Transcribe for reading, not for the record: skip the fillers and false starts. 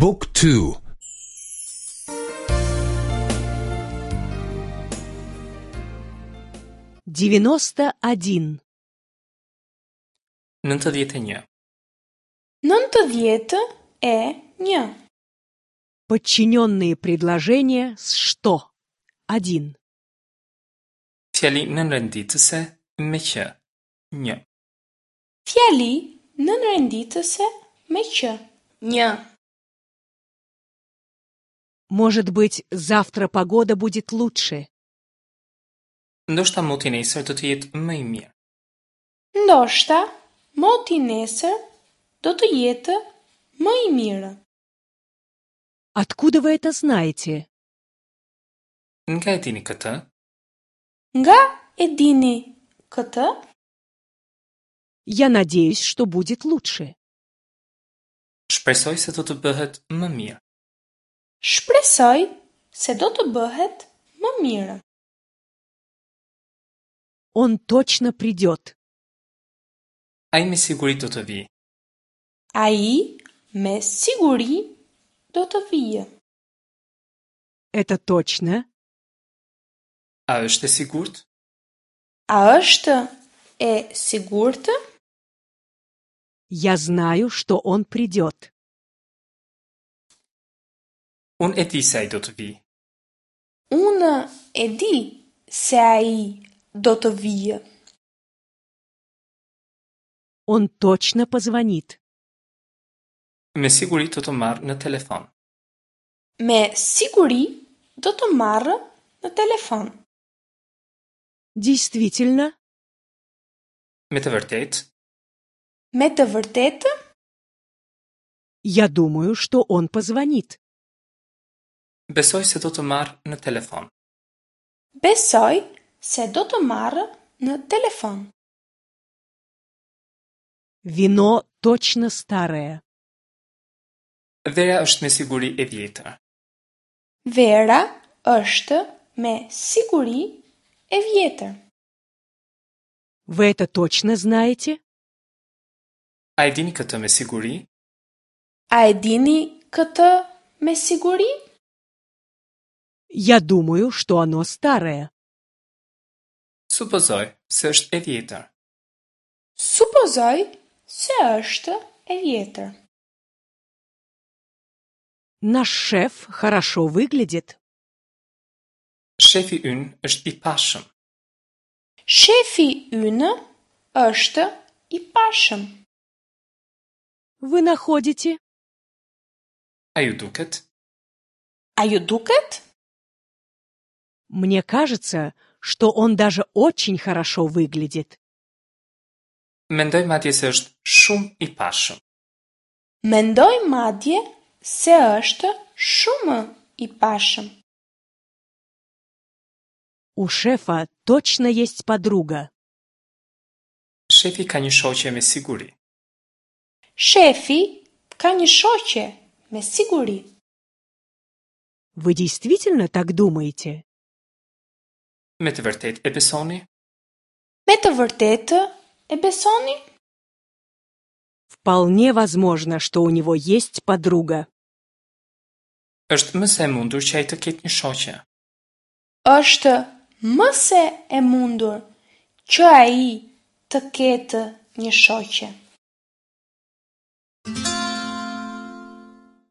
บุ๊กทู 91. 91. 91. Подчиненные предложения с «что»? 1. Fjali nënrenditëse me që. 1. Fjali nënrenditëse me që. 1. Может быть, завтра погода будет лучше. Ndoshta moti nesër do të jetë më i mirë. Ndoshta moti nesër do të jetë më i mirë. Откуда вы это знаете? Nga e dini këtë? Nga e dini këtë? Я надеюсь, что будет лучше. Shpresoj se do të bëhet më mirë. Shpresoj se do të bëhet më mirë. Он точно придет. Ai me siguri do të vijë. Ai me siguri do të vijë. Это точно? A është e sigurt? A është e sigurt? Я знаю, что он придет. Unë e di se ai do të vijë. Unë e di se ai do të vijë. Он точно позвонит. Me siguri do të marrë në telefon. Me siguri do të marrë në telefon. Действительно? Me të vërtetë, Me të vërtetë, Я думаю, что он позвонит. besoj se do të marrë në telefon. besoj se do të marrë në telefon. Вино точно старое. Vera është me siguri e vjetër. Vera është me siguri e vjetër. Вы это точно знаете? A e dini këtë me siguri? A e dini këtë me siguri? Я думаю, что оно старое. Supozoj se është e vjetër. Supozoj se është e vjetër. Наш шеф хорошо выглядит. Shefi ynë është i pashëm. Shefi ynë është i pashëm. Вы находите? A ju duket? A ju duket? Мне кажется, что он даже очень хорошо выглядит. Mendoj madje se është shumë i pashëm. Mendoj madje se është shumë i pashëm. У шефа точно есть подруга. Shefi ka një shoqe me siguri. Shefi ka një shoqe me siguri. Вы действительно так думаете? Me të vërtetë e besoni? Me të vërtetë e besoni? Вполне возможно, что у него есть подруга. Është më se e mundur që ai të ketë një shoqe. Është më se e mundur që ai të ketë një shoqe.